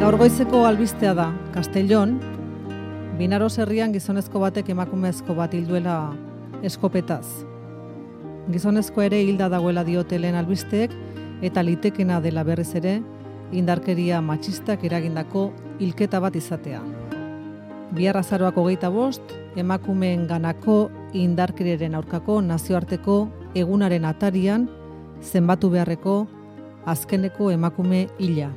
Gaur goizeko albistea da, Castellón, Binaros herrian gizonezko batek emakumezko bat hilduela eskopetaz. Gizonezko ere hilda dagoela diote lehen albisteek, eta litekena dela berriz ere, indarkeria matxistak eragindako hilketa bat izatea. Bihar azaroak 25, emakumeen ganako indarkeriaren aurkako nazioarteko egunaren atarian zenbatu beharreko azkeneko emakume hila.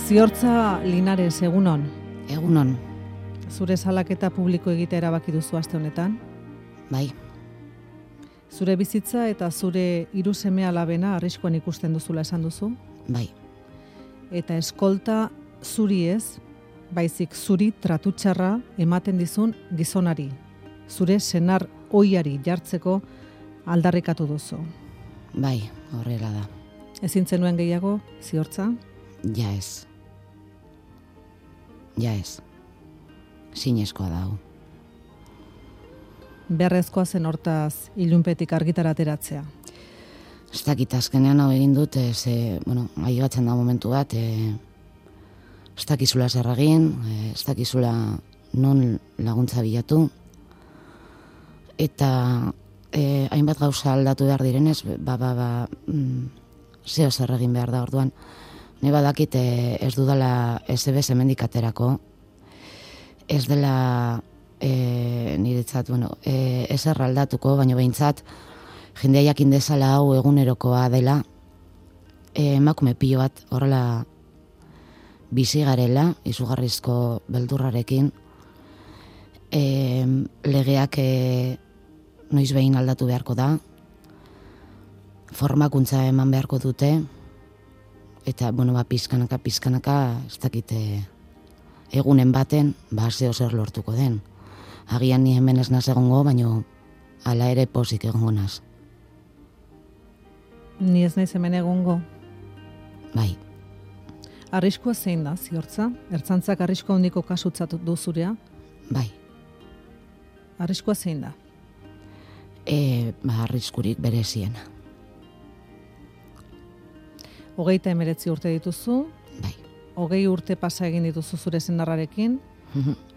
Ziortza Linares, egunon. Egunon. Zure salaketa publiko egitea erabaki duzu aste honetan? Bai. Zure bizitza eta zure 3 seme-alabena arriskuan ikusten duzula esan duzu? Bai. Eta eskolta zuri ez, baizik zuri tratu txarra ematen dizun gizonari. Zure senar ohiari jartzeko aldarrikatu duzu. Bai, horrela da. Ezin zenuen gehiago, Ziortza? Ja ez. Ja ez. Sinezkoa dago. Beharrezkoa zen hortaz ilunpetik argitara ateratzea. Ez dakit azkenean hau egin dut, aigatzen da momentu bat, ez dakizula zer egin, ez dakizula non laguntza bilatu, eta hainbat gauza aldatu behar direnez, zeo zer egin behar da orduan. Ne badakit ez dudala SBS hemendik aterako, ez dela niretzat, ezer aldatuko, baina behintzat jendea jakin dezala hau egunerokoa dela, emakume pilo bat horrela bizi garela, izugarrizko beldurrarekin, legeak noiz behin aldatu beharko da, formakuntza eman beharko dute, eta, pizkanaka, ez dakit, egunen baten, zeo zer lortuko den. Agian ni hemen ez naz egongo, baino hala ere pozik egongo naz. Ni ez naiz hemen egongo. Bai. Arriskua zein da, Ziortza? Ertzaintzak arriskua handiko kasutzat du zurea? Bai. Arriskua zein da? Arriskurik bereziena. 39 urte dituzu. Bai. 20 urte pasa egin dituzu zure senarrarekin.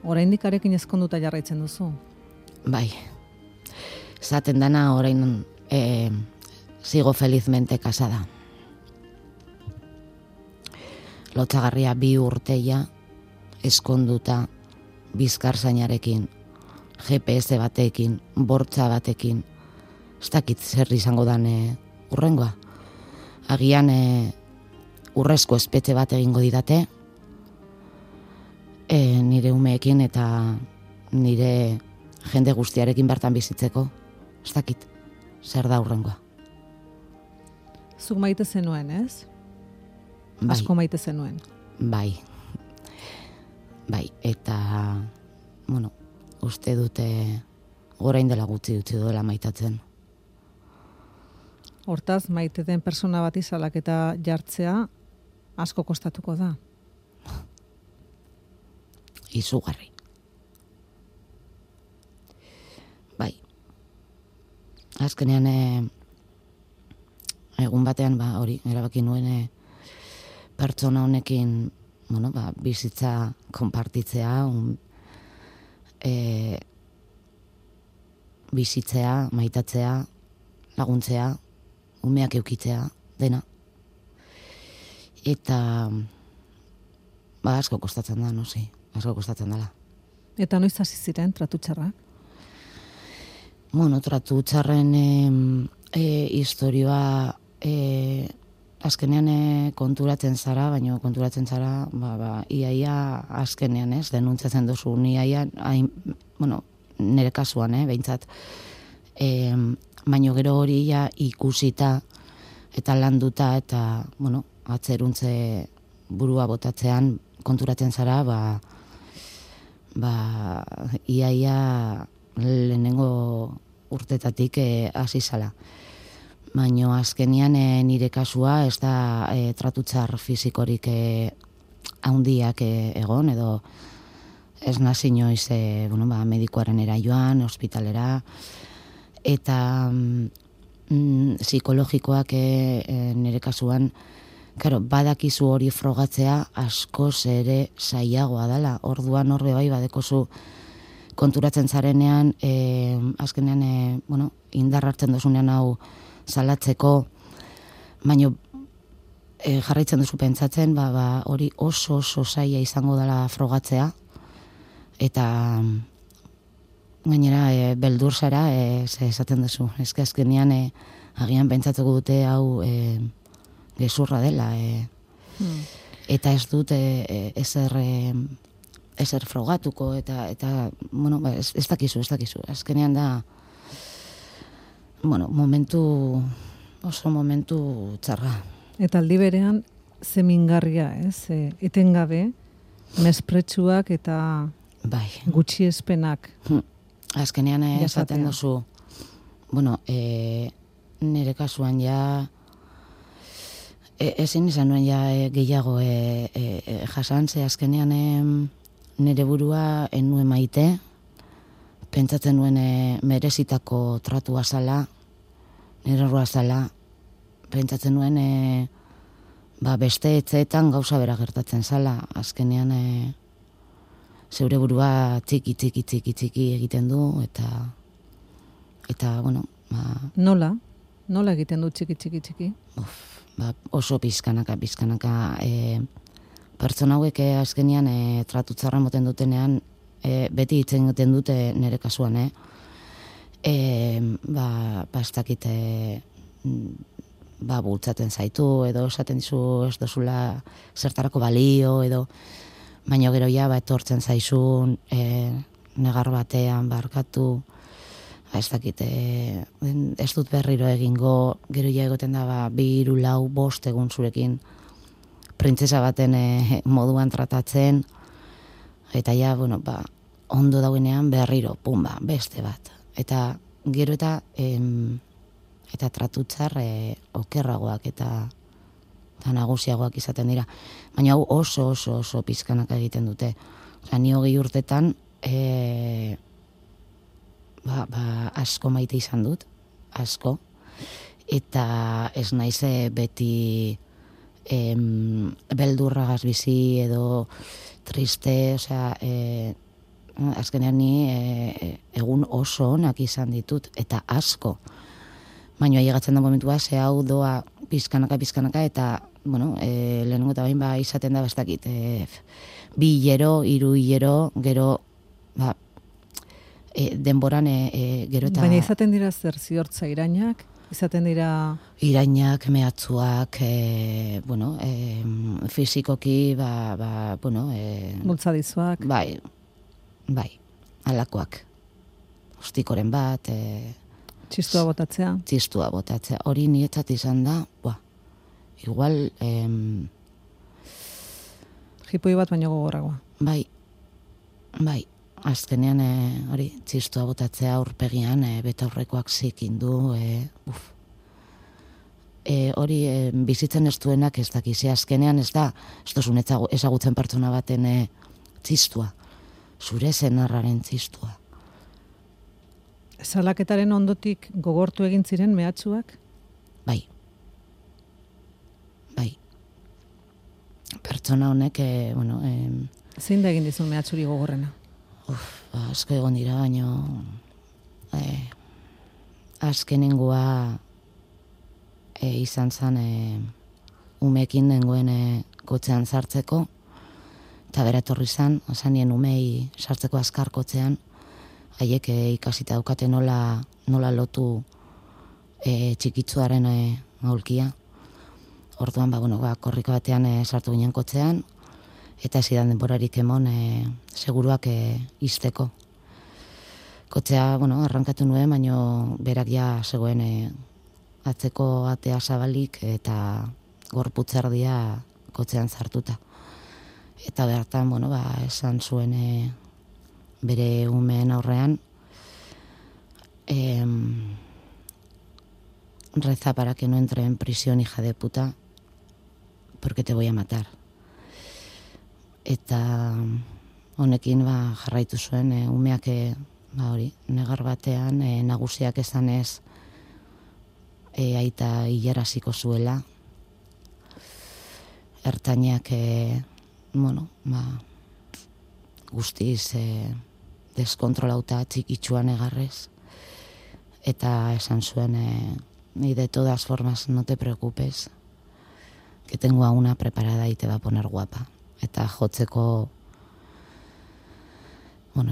Oraindik arekin ezkonduta jarraitzen duzu. Bai. Zaten dana orain sigo felizmente casada. Lotsagarria 2 urteia eskonduta bizkarzainarekin, GPS batekin, bortza batekin. Ez dakit zer izango dan urrengoa. Agian urrezko espetxe bat egingo didate, nire umeekin eta nire jende guztiarekin bertan bizitzeko. Ez dakit, zer da urrengoa. Zuk maite zenuen, ez? Bai. Asko maite zenuen. Bai. Bai, eta, uste dute orain dela gutxi utzi duela maitatzen. Hortaz, maite den persona bati salaketa jartzea asko kostatuko da. Izugarri. Bai. Azkenean egun batean erabaki nuen pertsona honekin bizitza konpartitzea, bizitzea, maitatzea, laguntzea, umeak eukitzea, dena. Eta asko kostatzen da, asko kostatzen dela. Eta noiz hasi ziren tratu txarrak? Tratu txarren historioa azkenean konturatzen zara, baina konturatzen zara, iaia azkenean, denuntzatzen duzu, iaia, nire kasuan, behintzat, baina gero hori ikusita eta landuta eta, atzeruntze burua botatzean konturatzen zara, iaia lehenengo urtetatik hasi zala. Baina azkenian nire kasua ez da tratu txar fizikorik handiak egon, edo ez nazi inoiz, medikuaren joan, ospitalera, eta psikologikoak nire kasuan, claro, badakizu hori frogatzea askoz ere zailagoa dela. Orduan horbe bai badekozu konturatzen zarenean, azkenean, indar hartzen dozunean hau salatzeko, baina jarraitzen duzu pentsatzen, hori oso zaila izango dela frogatzea, eta gainera beldur zara, esaten duzu. Azkenean agian pentsatuko dute hau gezurra dela, eta ez dut ezer frogatuko, eta ez dakizu. Azkenean da, oso momentu txarra. Eta aldi berean, zemingarria, etengabe, mespretsuak eta gutxiespenak. Azkenean esaten duzu, nire kasuan ja, ezin izan nuen ja gehiago jasan, ze azkenean nire burua nuen maite, pentsatzen nuen merezitako tratua zala, nire errua zala, pentsatzen nuen beste etxeetan gauza bera gertatzen zala, azkenean zeure burua txiki egiten du, eta Nola egiten du txiki? Oso pizkanaka, pertsona hauek azkenean tratu txarra moten dutenean, beti itzen egiten dute nire kasuan, ez dakit, bultzaten zaitu, edo esaten dizu ez dozula zertarako balio, edo baina gero ja etortzen zaizun, negar batean barkatu, ez dakit, ez dut berriro egingo, gero ja egoten da 2, 3, 4, 5 egun zurekin printzesa baten moduan tratatzen, eta ja, ondo dauenean berriro, beste bat. Eta gero eta tratutzar okerragoak eta nagusiagoak izaten dira. Baina hau oso pizkanak egiten dute. Ni 20 urtetan asko maite izan dut, asko, eta ez naiz beti beldurragaz bizi edo triste, azkenean ni egun oso onak izan ditut, eta asko. Baina ailegatzen da momentua, ze hau doa pizkanaka, eta, lehenengo eta bain izaten da bastakit, 2 hilero, 3 hilero, gero, denboran gero eta... Baina izaten dira zer ziortza irainak? Izaten dira... Irainak, mehatzuak, fizikoki, bultzadizuak. Bai, alakoak. Ostikoren bat... Txistua botatzea. Hori nietzat izan da, igual... Jipoi bat baino gogorragoa. Bai. Azkenean hori txistua botatzea aurpegian betaurrekoak zikin du, hori bizitzen ez duenak ez dakiz, azkenean ez dozun ezagutzen pertsona baten txistua, zure zenarraren txistua. Salaketaren ondotik gogortu egin ziren mehatxuak? Bai. Pertsona honek, zein da egin dizun mehatxuri gogorrena? Asko egon dira, baino azkenengoa izan zen umeekin nengoen kotxean sartzeko, eta bera etorri zen, zanien umei sartzeko azkar kotxean, haiek ikasita daukate nola lotu txikitzuaren aulkia. Orduan, korriko batean sartu ginen kotxean, eta zidan denborarik emon seguruak izteko. Kotxea, arrankatu nuen, baino berak ja zegoen atzeko atea zabalik eta gorputzerdia kotxean sartuta. Eta bertan, esan zuen bere umeen aurrean, reza para que no entre en prisión, hija de puta, porque te voy a matar. Eta honekin jarraitu zuen, umeak hori, negar batean, nagusiak esanez aita hilaraziko zuela, ertainak, guztiz deskontrolauta txikitsuan egarrez, eta esan zuen, y de todas formas no te preocupes, que tengo a una preparada y te va a poner guapa. Eta jotzeko,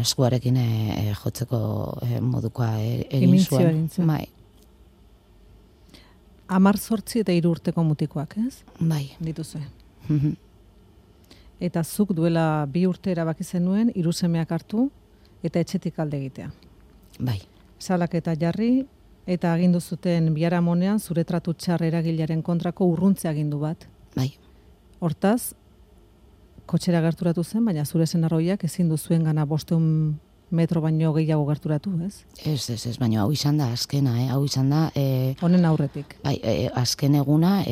eskuarekin jotzeko modukoa egin zuen. Bai. 18 eta 3 urteko mutikoak, ez? Bai. Dituzue. Eta zuk duela 2 urte erabaki zenuen 3 semeak hartu eta etxetik alde egitea. Bai. Salaketa jarri eta agindu zuten biharamonean zure tratu txar eragilearen kontrako urruntze agindu bat. Bai. Hortaz, kotxera gerturatu zen, baina zure senarroiak ezin du zuengana 500 metro baino gehiago gerturatu, ez? Ez, baina hau izan da azkena, hau izan da... Honen aurretik. Bai, azken eguna,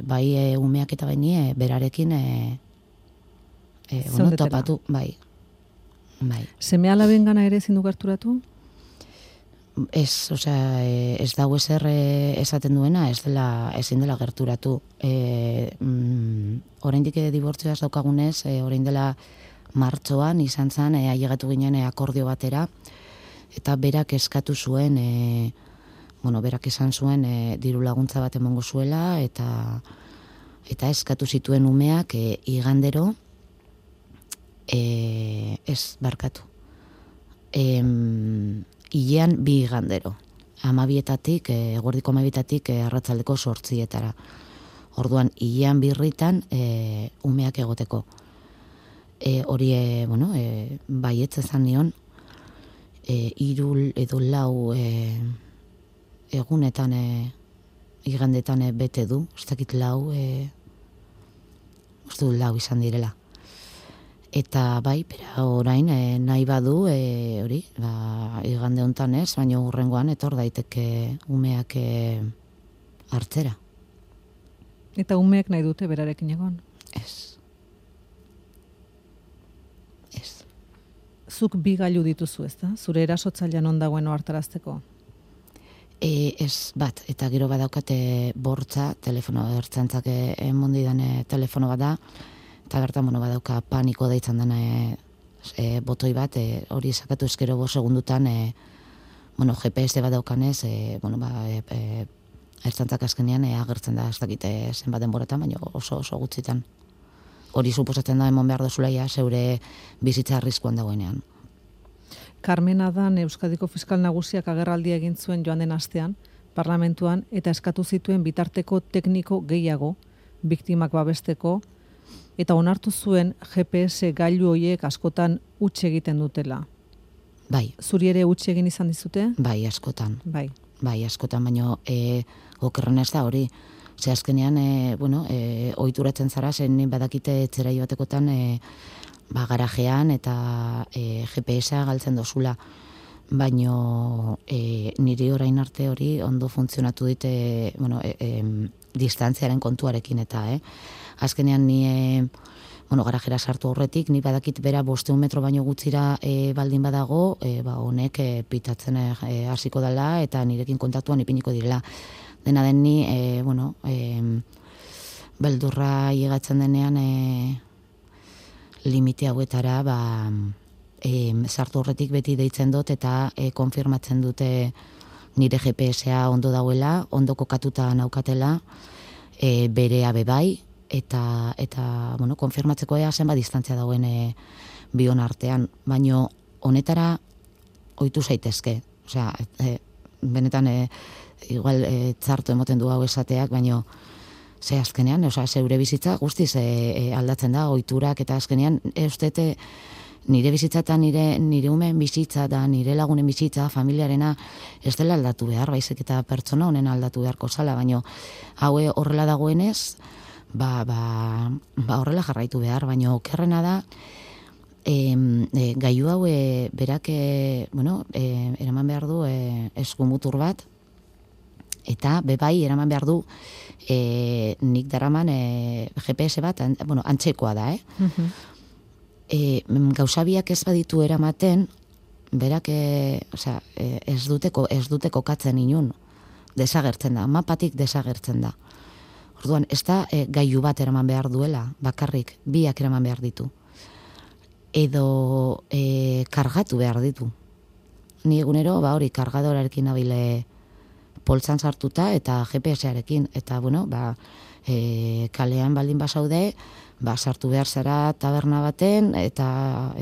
bai umeak eta baini berarekin topatu, bai. Seme alabengana ere ezin du gerturatu? Ez, ez dago ezer esaten duena, ezin dela gerturatu. Oraindik dibortzioa ez daukagunez, orain dela martxoan izan zen, ailegatu ginen akordio batera, eta berak eskatu zuen, berak esan zuen diru laguntza bat emongo zuela, eta eskatu zituen umeak igandero, ez barkatu. Hilean 2 igandero. 12-etatik, eguerdiko 12-etatik arratsaldeko 8-etara. Orduan, hilean 2 irritan umeak egoteko. Hori, baietz ezan nion, 3 edo 4 egunetan, igandetan bete du, ez dakit 4, uste du 4 izan direla. Eta bai, bera orain nahi badu, hori, igande hontan ez, baina hurrengoan etor daiteke umeak hartzera. Eta umeak nahi dute berarekin egon? Ez. Zuk 2 gailu dituzu, ezta? Zure erasotzailean on dagoen ohartarazteko? Ez bat, eta gero badaukate bortza, telefono ertzaintzak emondidan telefono bat da, eta bertan badauka paniko deitzen dena botoi bat, hori sakatu eskero 5 segundutan, GPS bat daukanez, ertzaintzak azkenean agertzen da, ez dakite zenbat denboratan, baina oso gutxitan. Hori suposatzen da emon behar dozulaia zeure bizitza arriskuan dagoenean. Carmen Adan Euskadiko Fiskal Nagusiak agerraldia egin zuen joan den astean, parlamentuan, eta eskatu zituen bitarteko tekniko gehiago, biktimak babesteko, eta onartu zuen GPS gailu horiek askotan huts egiten dutela. Bai. Zuri ere huts egin izan dizute? Bai, askotan. Bai, askotan, baina okerren ez da hori. Ze azkenean, ohituratzen zara, zen badakite etzera joatekotan garajean eta GPS-a galtzen dozula. Baina niri orain arte hori ondo funtzionatu dite distantziaren kontuarekin eta, azkenean ni garajera sartu aurretik, ni badakit bera 500 metro baino gutxira baldin badago, honek pitatzen hasiko dela eta nirekin kontaktuan ipiniko direla. Dena den ni, beldurra llegatzen denean limite hauetara, sartu horretik beti deitzen dut eta konfirmatzen dute nire GPS-a ondo dauela, ondo kokatuta naukatela, berea bebai, eta konfirmatzeko zenbat distantzia dauen bion artean. Baina honetara ohitu zaitezke. Osea, benetan igual txarto emoten du hau esateak, baina ze azkenean, zeure bizitza guztiz aldatzen da, ohiturak eta azkenean, ustete nire bizitza eta nire umeen bizitza da, nire lagunen bizitza, familiarena, ez dela aldatu behar, baizik eta pertsona honen aldatu beharko zala, baina hau horrela dagoenez, horrela jarraitu behar, baina okerrena da, gailu hau berak, eraman behar du eskumutur bat, eta bebai eraman behar du nik daraman GPS bat, antzekoa da, gauzabiak ez baditu eramaten, berak ez dute kokatzen inun, desagertzen da, mapatik desagertzen da. Orduan, ez da gailu bat eraman behar duela, bakarrik, biak eraman behar ditu. Edo kargatu behar ditu. Ni egunero, hori, kargadorarekin nabile poltsan sartuta eta GPS-arekin. Eta, kalean baldin basaude, sartu behar zara taberna baten, eta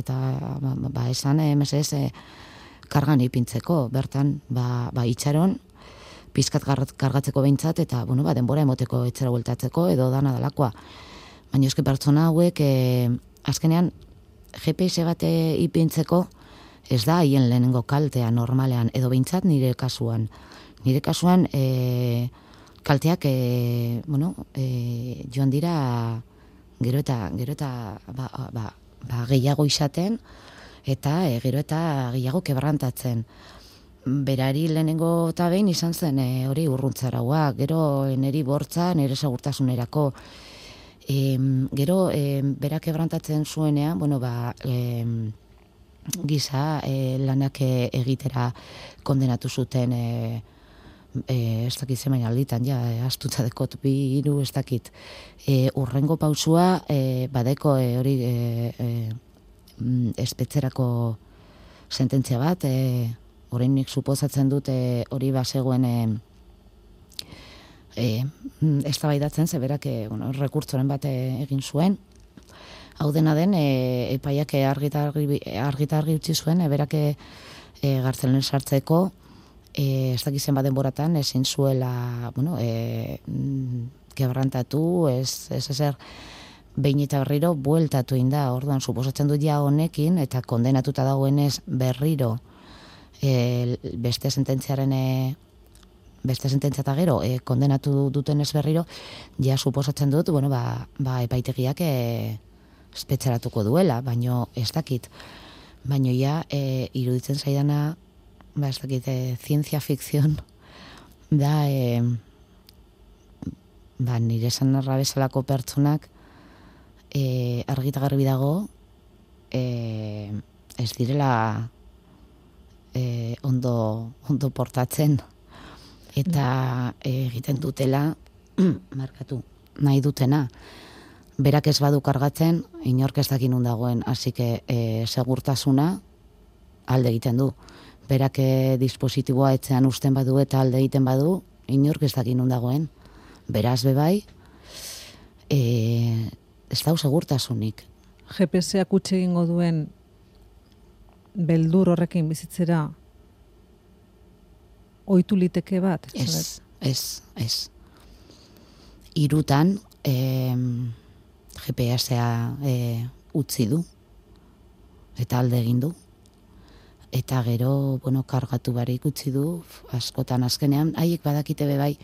esan MSS kargan ipintzeko, bertan, itxaron, pizkat kargatzeko behintzat, eta, denbora emoteko etxera bueltatzeko, edo dana dalakoa. Baina eske pertsona hauek, azkenean, GPS bat ipintzeko, ez da haien lehenengo kaltea normalean, edo behintzat nire kasuan. Nire kasuan, kalteak, joan dira, gero eta gehiago izaten, eta gero eta gehiago kebrantatzen. Berari lehenengo eta behin izan zen hori urruntzaraua, gero niri bortza, nire segurtasunerako. Gero berak kebrantatzen zuenean, giza lanak egitera kondenatu zuten, ez dakit zemen alditan, astutza dekot 2, 3, ez dakit. Urrengo pausua, badeko hori espetzerako sententzia bat, orainik suposatzen dute hori bazegoen eztabaidatzen, zeberak rekurtzoren bat egin zuen. Hau dena den, epaiak argitargi utzi zuen, berak gartzelen sartzeko, ez dakizen bat denboratan, ezin zuela, kebrantatu, ez ezer, behin eta berriro bueltatu inda, orduan, suposatzen dut ja honekin, eta kondenatuta dagoenez berriro, beste sententziaren eta gero, kondenatu duten ez berriro, ja suposatzen dut, epaitegiak espetxaratuko duela, baino ez dakit. Baino ja, iruditzen zaidana, ez dakit, zientzia fikzion, da, nire esan narra bezalako pertsonak, argita garbi dago, ez direla ondo portatzen, eta egiten dutela, markatu, nahi dutena. Berak ez badu kargatzen, inork ez dakin dagoen, hasi que segurtasuna alde egiten du. Berak dispositiboa etxean usten badu eta alde egiten badu, inork ez dakin dagoen. Beraz bebai, ez dau segurtasunik. GPS-ak utxe egingo duen beldur horrekin bizitzera ohitu liteke bat? Ez. Hirutan, GPS-a utzi du, eta alde egin du. Eta gero, kargatu barik utzi du, askotan azkenean, haiek badakite bebai,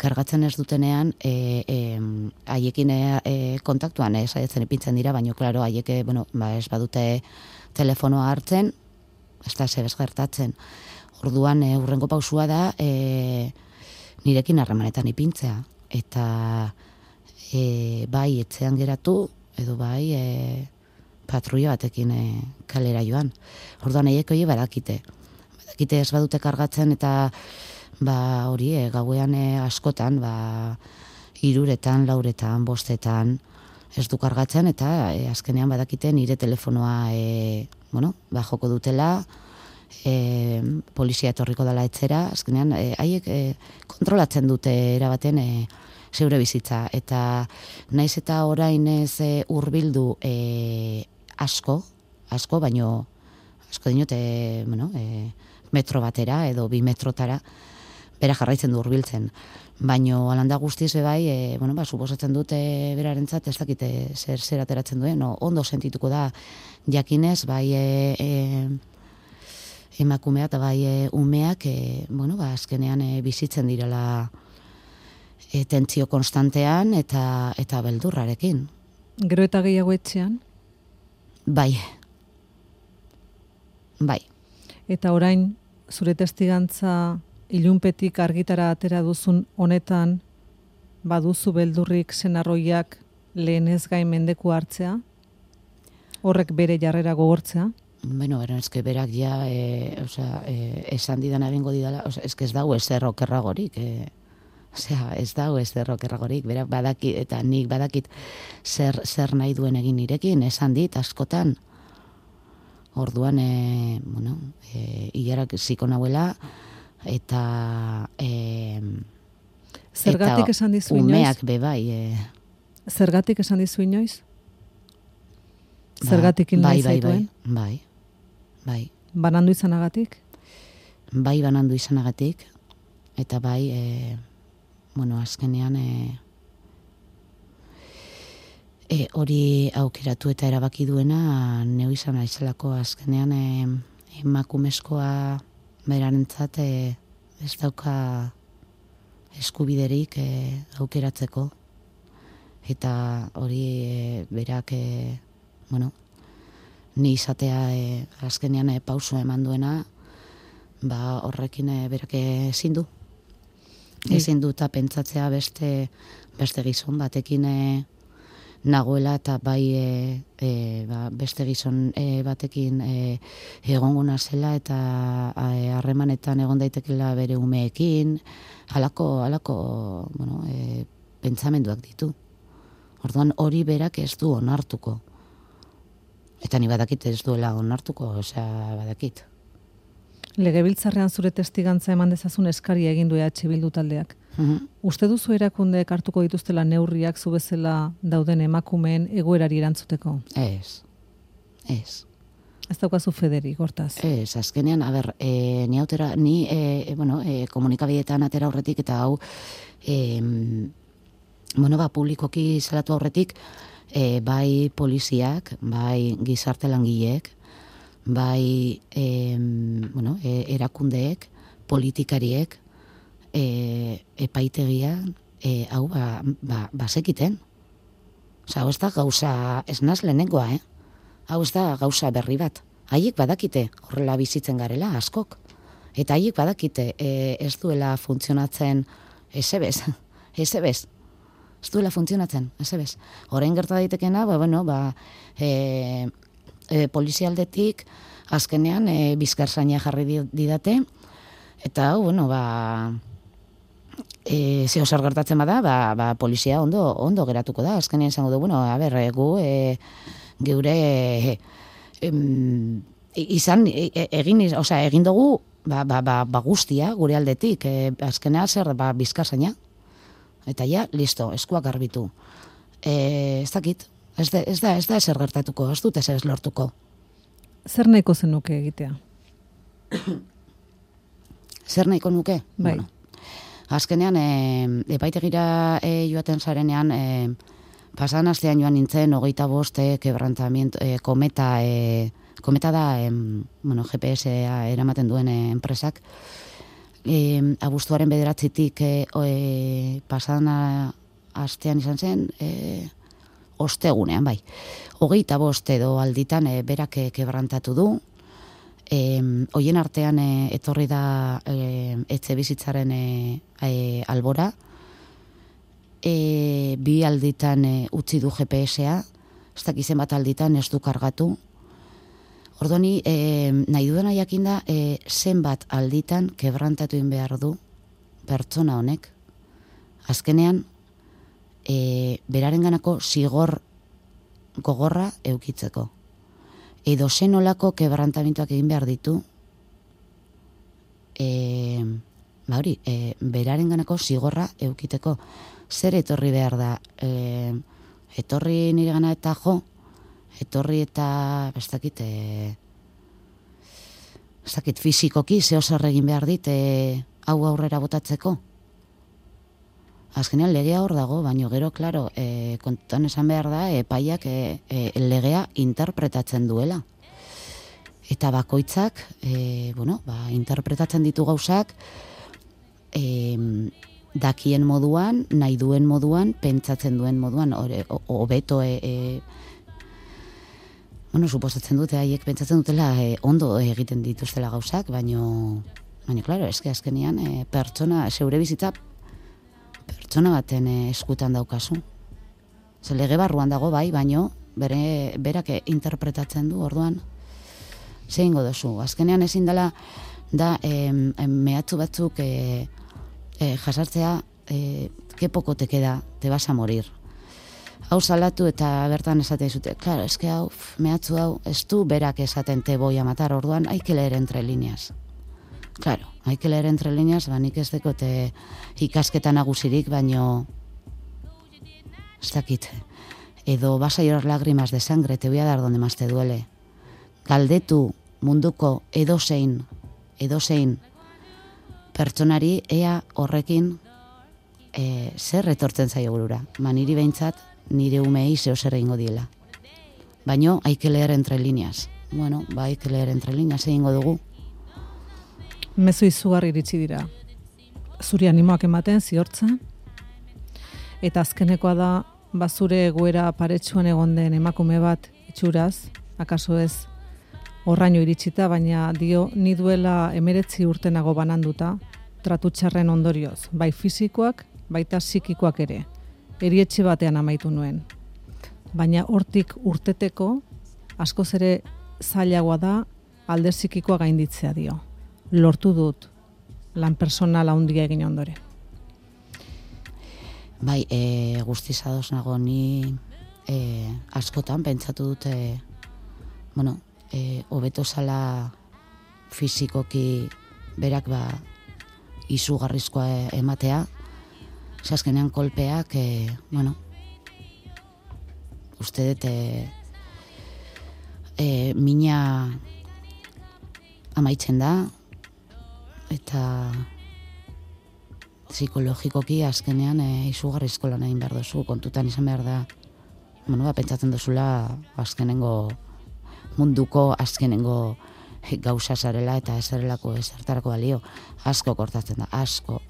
kargatzen ez dutenean, haiekin kontaktuan, saiatzen ipintzen dira, baina, klaro, haiek, ez badute telefonoa hartzen, ez da zebez gertatzen. Orduan, urrengo pausua da, nirekin harremanetan ipintzea. Eta bai etxean geratu, edo bai patrulla batekin kalera joan. Orduan eiek hori badakite. Badakite ez badute kargatzen eta hori gauean askotan, 3etan, 4etan, 5etan ez du kargatzen eta azkenean badakite nire telefonoa joko dutela, polizia etorriko dela etxera, azkenean haiek kontrolatzen dute erabaten zeure bizitza, eta naiz eta orain ez hurbildu asko, baino asko dinote metro batera edo 2 metrotara, bera jarraitzen du hurbiltzen. Baino alanda guztiz bebai, suposatzen dute berarentzat ez dakite zer ateratzen duen, ondo sentituko da jakinez, bai emakumea eta bai umeak, azkenean bizitzen direla tentsio konstantean eta beldurrarekin. Gero eta gehiago etxean? Bai. Eta orain, zure testigantza ilunpetik argitara atera duzun honetan, baduzu beldurrik senarroiak lehenez gain mendeku hartzea? Horrek bere jarrera gogortzea? Bueno, eske berak ja, esan didan egingo didala, eske ez dago ezer okerragorik, ez dago ezer okerragorik, berak badakit, eta nik badakit zer nahi duen egin nirekin, esan dit askotan. Orduan, hilarak ziko nahuela, eta Zergatik esan dizu inoiz? Umeak bebai. Zergatik esan dizu inoiz? Zergatik hil nahi zaituen? Bai. Banandu izanagatik? Bai, banandu izanagatik, eta bai, azkenean hori aukeratu eta erabaki duena neu izan naizelako azkenean emakumezkoa berarentzat ez dauka eskubiderik aukeratzeko, eta hori berak ni izatea azkenean pauso eman duena, horrekin berak ezin du. Ezin du eta pentsatzea beste gizon batekin nagoela, eta bai beste gizon batekin egongo nazela, eta harremanetan egon daitekela bere umeekin, halako pentsamenduak ditu. Orduan hori berak ez du onartuko. Eta ni badakit ez duela onartuko, badakit. Legebiltzarrean zure testigantza eman dezazun eskaria egin du EH Bildu taldeak. Uste duzu erakundeek hartuko dituztela neurriak zu bezala dauden emakumeen egoerari erantzuteko? Ez. Ez daukazu federik, hortaz? Ez, azkenean, ni komunikabideetan atera aurretik, eta hau, publikoki zelatu aurretik, bai poliziak, bai gizarte langileek, bai erakundeek, politikariek, epaitegian, hau bazekiten. Hau ez da gauza, ez naz lehenengoa, hau ez da gauza berri bat. Haiek badakite horrela bizitzen garela, askok. Eta haiek badakite ez duela funtzionatzen ezebez. Ez duela funtzionatzen, ezebez. Orain gerta daitekena, polizialdetik azkenean bizkarzaina jarri didate, eta zeo zer gertatzen bada, polizia ondo geratuko da. Azkenean izango du, gu geure egin dugu guztia gure aldetik, azkenean zer bizkarzaina. Eta listo, eskuak garbitu. Ez dakit, ez da ezer gertatuko, ez dut ezer lortuko. Zer nahiko zenuke egitea? Zer nahiko nuke? Bai. Azkenean, epaitegira joaten zarenean, pasan astean joan nintzen, 25 quebrantamiento, kometa da, GPS-a eramaten duen enpresak, abuztuaren 9-tik pasan astean izan zen, ostegunean, bai. 25 edo alditan berak kebrantatu du. Hoien artean etorri da etxe bizitzaren albora. 2 alditan utzi du GPS-a, ez dakizen bat alditan ez du kargatu. Ordoni, nahi dudana jakinda, zenbat alditan kebrantatu egin behar du pertsona honek. Azkenean, berarenganako zigor gogorra eukitzeko. Edo zenolako kebrantamentuak egin behar ditu, berarenganako zigorra eukiteko. Zer etorri behar da? Etorri nire gana eta etorri eta, ez dakit fizikoki, zeo zer egin behar dit, hau aurrera botatzeko. Azkenean legea hor dago, baina gero, klaro, kontutan esan behar da, epaiak legea interpretatzen duela. Eta bakoitzak, interpretatzen ditu gauzak, dakien moduan, nahi duen moduan, pentsatzen duen moduan, hobeto, suposatzen dute, haiek pentsatzen dutela, ondo egiten dituztela gauzak, baina, klaro, eske azkenean, pertsona, zeure bizitza, pertsona baten eskutan daukazu. Lege barruan dago bai, baino berak interpretatzen du, orduan, zein godozu. Azkenean ezin dela, da mehatzu batzuk jasartzea, que poco te queda, te vas a morir. Hau salatu eta bertan esatea zute, claro, eske hau, mehatzu hau, ez du berak esaten te voy a matar, orduan, hay que leer entre líneas. Claro, hay que leer entre líneas, nik ez dekote ikasketa nagusirik, baino, ez dakit, edo vas a llorar lágrimas de sangre, te voy a dar donde más te duele. Galdetu munduko edozein pertsonari ea horrekin zer etortzen zaio burura. Niri behintzat, nire umei zeo zer egingo diela. Baino, hay que leer entre líneas. Bueno, hay que leer entre líneas, egingo dugu. Mezu izugarri iritsi dira. Zuri animoak ematen, ziortza. Eta azkenekoa da, bazure egoera paretsuan egon den emakume bat itxuraz, akaso ez horraino iritsita, baina dio ni duela 19 urtenago bananduta, tratu txarren ondorioz, bai fisikoak, baita psikikoak ere. Erietxe batean amaitu nuen. Baina hortik urteteko, askoz ere zailagoa da alde psikikoa gainditzea dio. Lortu dut lan personala handia egin ondore. Bai, guztiz ados nago ni askotan pentsatu dute, bueno, hobeto zala fisikoki berak izugarrizkoa ematea, azkenean kolpeak, bueno, uste dut mina amaitzen da, eta psikologikoki azkenean izugarrizko lan egin behar duzu, kontutan izan behar da, bueno, pentsatzen duzula azkenengo munduko azkenengo gauza zarela eta ezerrelako ezertarako balio, asko kortatzen da, asko.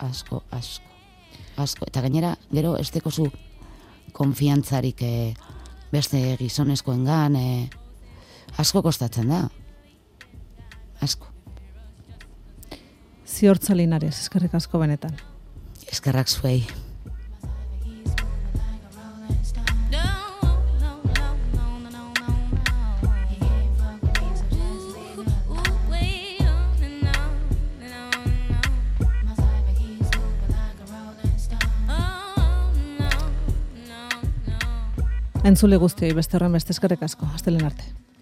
Eta gainera, gero ez dekozu konfiantzarik beste gizonezkoengan, asko kostatzen da, asko. Ziortza Linares, eskerrik asko benetan. Eskerrak zuei. Entzule guztioi beste horren beste eskerrik asko. Astelehen arte.